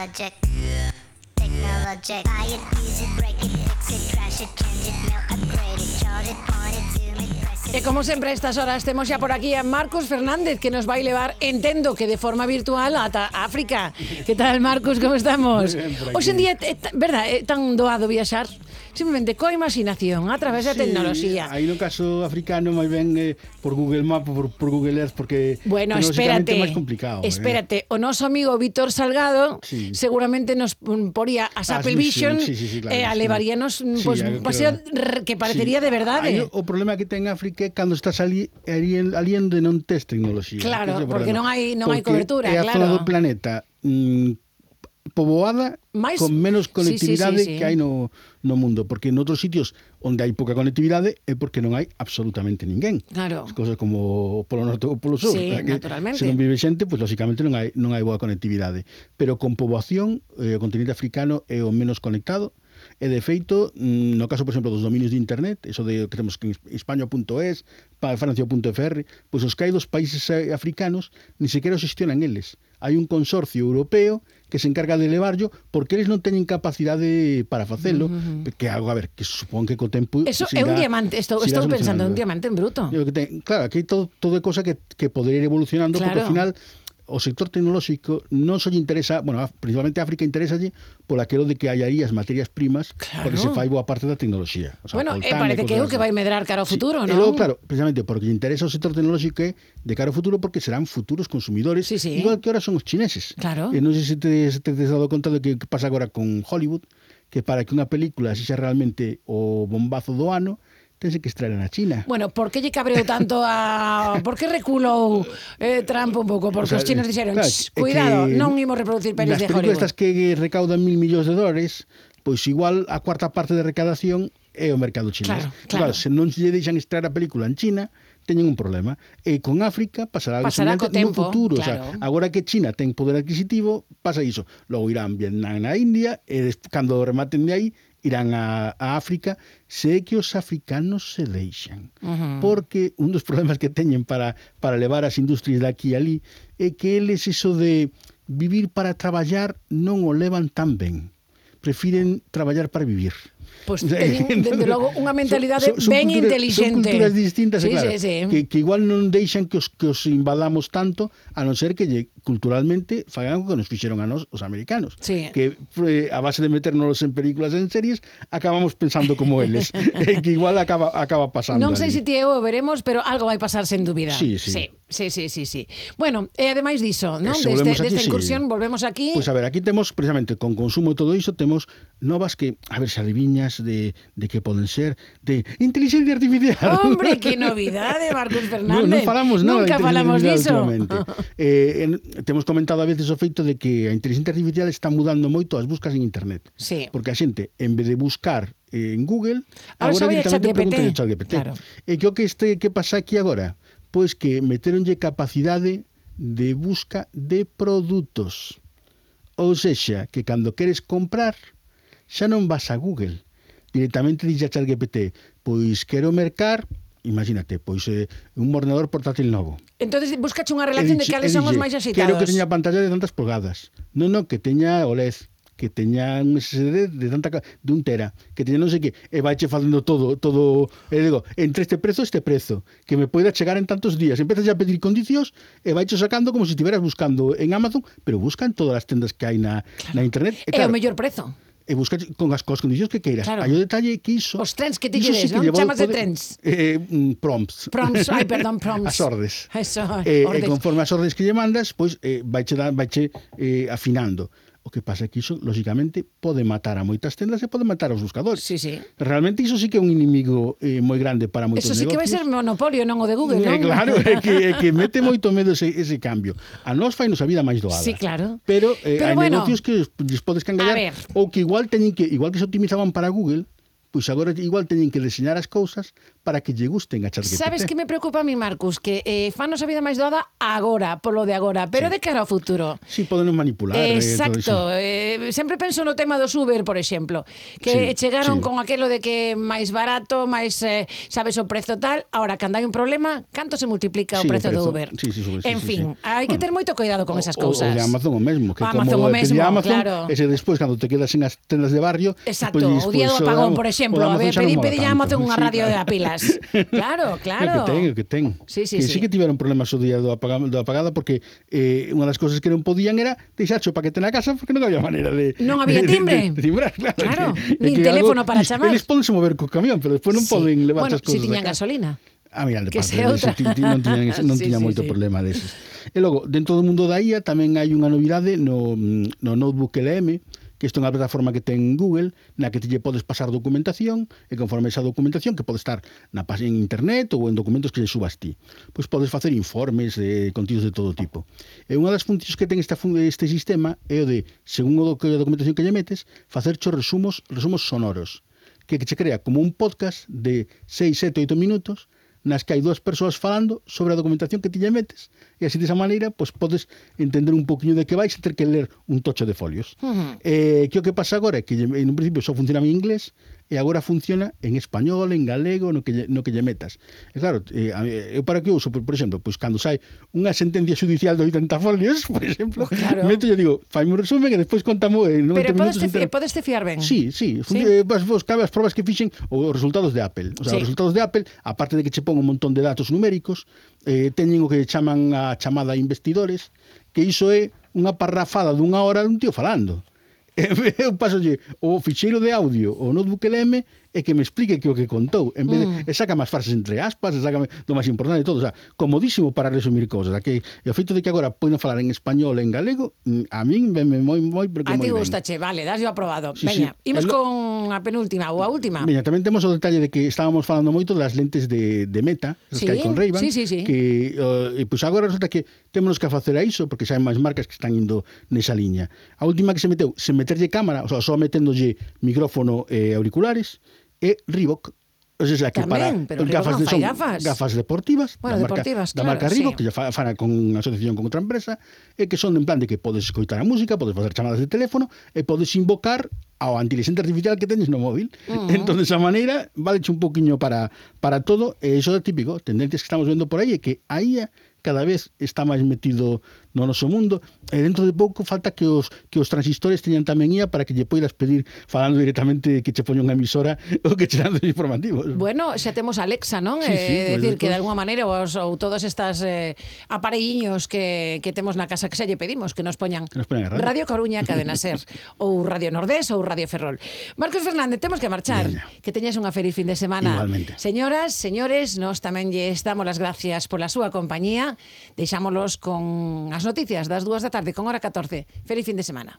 Technologic. Buy it, use it, break it, fix it, trash it, change it, melt, upgrade it, charge it, point it, zoom it, press it. E como sempre a estas horas temos xa por aquí a Marcos Fernández, que nos vai levar, entendo que de forma virtual, ata África. Que tal, Marcos, como estamos? Hoxe en día, verdad, é tan doado viaxar simplemente coa imaginación, a través da tecnoloxía. Aí no caso africano máis ben por Google Maps, por Google Earth, porque bueno, espérate, é máis complicado. Espérate, o noso amigo Víctor Salgado seguramente nos poría as Apple Vision claro, e alevaríanos pues, un paseo que parecería de verdade. Aí o problema que ten África é cando estás ali onde non tes tecnoloxía. Claro, porque non hai cobertura, é a claro. zona do planeta poboada con menos conectividade que hai no mundo, porque en outros sitios onde hai pouca conectividade é porque non hai absolutamente ninguén. Claro. As cousas como o Polo Norte ou o Polo Sur, naturalmente. Se non vive xente, pois lógicamente non hai boa conectividade, pero con poboación o continente africano é o menos conectado. E de feito, no caso, por exemplo, dos dominios de internet, eso de que temos que España.es, Francia.fr, pois os que hai dos países africanos ni sequera os gestionan eles. Hai un consorcio europeo que se encarga de levarlo porque eles non teñen capacidade para facelo, que algo, a ver, que supón que co tempo... Eso é un diamante, estou pensando, un diamante en bruto. Claro, aquí todo é cosa que poder ir evolucionando, porque ao final o sector tecnolóxico non só lle interesa, bueno, principalmente a África interesalle por aquilo de que hai aí as materias primas porque se fai boa parte da tecnoloxía. O sea, bueno, parece que é o que vai medrar cara ao futuro, non? E logo, claro, precisamente porque lle interesa o sector tecnolóxico de cara ao futuro porque serán futuros consumidores, igual que ahora son os chineses. Claro. Non sei se te has dado conta de que pasa agora con Hollywood, que para que unha película sexa realmente o bombazo do ano, tense que extraer na China. Bueno, por que lle cabreou tanto por que reculou Trump un pouco? Porque os chinos dixeron, cuidado, non imos reproducir pelis de Hollywood. Nas películas que recaudan $1.000 millóns, pois igual a cuarta parte de recadación é o mercado chinés. Claro, se non lle deixan extraer a película en China, teñen un problema. E con África pasará co tempo, no futuro. Claro. O sea, agora que China ten poder adquisitivo, pasa iso. Logo irán Vietnam na India, e cando rematen de aí, irán a África, se é que os africanos se deixan. Porque un dos problemas que teñen para levar as industrias de aquí e ali é que eles iso de vivir para traballar non o levan tan ben. Prefiren traballar para vivir. Pois teñen, dende logo, unha mentalidade ben inteligente. Son culturas distintas, claro, sí. Que igual non deixan que os invadamos tanto, a non ser que culturalmente fagan o que nos fixeron a nós, os americanos. Sí. Que a base de meternos en películas e en series, acabamos pensando como eles. Que igual acaba pasando. Non sei se ti e eu veremos, pero algo vai pasar sen dúbida. Sí. Bueno, e ademais diso, non? Desta incursión, volvemos aquí. Pois a ver, aquí temos, precisamente, con consumo e todo iso, temos novas que, a ver, se adiviñas de que poden ser de inteligencia artificial. Hombre, que novidade, Marcos Fernández. Non falamos nada. Nunca falamos diso. Temos comentado a veces o feito de que a inteligencia artificial está mudando moito as buscas en internet. Sí. Porque a xente, en vez de buscar en Google, agora directamente pregunta a ChatGPT. Claro. E que pasa aquí agora? Pois que meteronlle capacidade de busca de produtos. Ou sexa, que cando queres comprar, xa non vas a Google. Directamente dixe a ChatGPT, pois quero mercar, imagínate, pois un ordenador portátil novo. Entonces buscache unha relación de cales son os máis axitados. Quero que teña pantalla de tantas pulgadas. Non, que teña OLED, que teña un SSD de 1 tera, que teña non sei que, e vaiche facendo todo, e digo, entre este prezo, que me poida chegar en tantos días. Empezas a pedir condicións e vaiche sacando como se estiveras buscando en Amazon, pero busca en todas as tendas que hai na internet. E o mellor prezo. E busca con as condicións que queiras. Claro. Hai o detalle que iso... Os trens que te lleves, non? Chamas de trens. Prompts. Prompts. As ordes. Eso, e conforme as ordes que lle mandas, pois vaiche afinando. O que pasa é que iso, lógicamente, pode matar a moitas tendas e pode matar aos buscadores. Sí. Realmente iso sí que é un inimigo moi grande para moitos negocios. Eso sí que vai ser monopolio, non o de Google, non? Claro, é que mete moito medo ese cambio. A nós fainos a vida máis doada. Sí, claro. Pero hai negocios que lles podes cangallar ou que igual que se optimizaban para Google, pois agora igual teñen que deseñar as cousas para que lle gusten a ChatGPT. Sabes que me preocupa a mí, Marcus? Que fanos a vida máis doada agora, polo de agora, pero de cara ao futuro. Sí, podenos manipular. Exacto. Sempre penso no tema dos Uber, por exemplo, que chegaron con aquelo de que máis barato, máis, sabes, o prezo tal. Ahora, cando hai un problema, canto se multiplica o prezo do Uber? En fin, hai que ter moito cuidado con esas cousas. O de Amazon o mesmo, que Amazon como o mesmo, pedí Amazon, claro. ese despois, cando te quedas en as tendas de barrio... Exacto, o día do apagón, por exemplo, pedí a Amazon unha radio de pilas. Claro. Que ten. Sí. Que tiveron problemas o día do apagada, porque unha das cousas que non podían era deixarcho o paquete na casa, porque non había maneira de... Non había timbre. De timbrar, claro. Nin teléfono para chamar. Eles podense mover co camión, pero despois non poden levar as cousas. Bueno, se tiñan gasolina. Mira, de que parte non tiña moito problema deses. E logo, dentro do mundo da IA tamén hai unha novidade no Notebook LM, que isto é unha plataforma que ten Google, na que te lle podes pasar documentación, e conforme esa documentación, que pode estar na página en internet ou en documentos que lle subas ti, pois podes facer informes, contidos de todo tipo. E unha das funcións que ten este sistema é o de, según a documentación que lle metes, facer resumos sonoros, que che crea como un podcast de 6, 7, 8 minutos, nas que hai dúas persoas falando sobre a documentación que ti lle metes, e así desa maneira pois podes entender un poquinho de que vais e ter que ler un tocho de folios. Que o que pasa agora é que en un principio só funcionaba en inglés e agora funciona en español, en galego, no que lle metas. E claro, eu para que uso, por exemplo, pois cando sai unha sentencia judicial de 80 folios, por exemplo, meto e digo, faime un resumen e despois contamo en 90 minutos. Pero podes te fiar ben? Sí. Vos cabe as probas que fixen os resultados de Apple. O sea, os resultados de Apple, aparte de que che pon un montón de datos numéricos, teñen o que chaman a chamada investidores, que iso é unha parrafada dunha hora dun tío falando. Eu pasolle o ficheiro de audio o Notebook LM e que me explique que o que contou, en vez de saca máis frases entre aspas, saca do máis importante de todo, o sea, comodísimo para resumir cousas. Que o feito de que agora poden falar en español e en galego, a min veme moi porque moi ben. A ti gustache, vale, das yo aprobado. Veña, imos con a penúltima ou a última. Veña, tamén temos o detalle de que estábamos falando moito das lentes de Meta, as que hai con Ray-Ban, que pois agora resulta que temos que facer a iso, porque xa hai máis marcas que están indo nesa liña. A última que se meteu, sen meterlle cámara, o sea, só meténdolle micrófono e auriculares, e Reebok, o sea, que tamén, para gafas deportivas, da marca Reebok, que ya fan con asociación con outra empresa, e que son en plan de que podes escoitar a música, podes facer chamadas de teléfono e podes invocar ao inteligencia artificial que tenes no móvil. Entón, desa maneira, valeche un poquinho para todo, e iso é típico, tendencias que estamos vendo por aí, é que a IA cada vez está máis metido no noso mundo, e dentro de pouco falta que os transistores teñan tamén IA para que lle poidas pedir falando directamente que che poña unha emisora ou que che dan os informativos. Bueno, xa temos Alexa, non? Sí, decir, que de alguma maneira ou todos estas aparelliños que temos na casa que xa lle pedimos que nos poñan Radio Coruña, Cadena Ser, ou Radio Nordés ou Radio Ferrol. Marcos Fernández, temos que marchar. Que teñas unha feliz fin de semana. Igualmente. Señoras, señores, nós tamén lles damos as gracias pola súa compañía. Deixámolos con as noticias das 2 da tarde, con hora 14. Feliz fin de semana.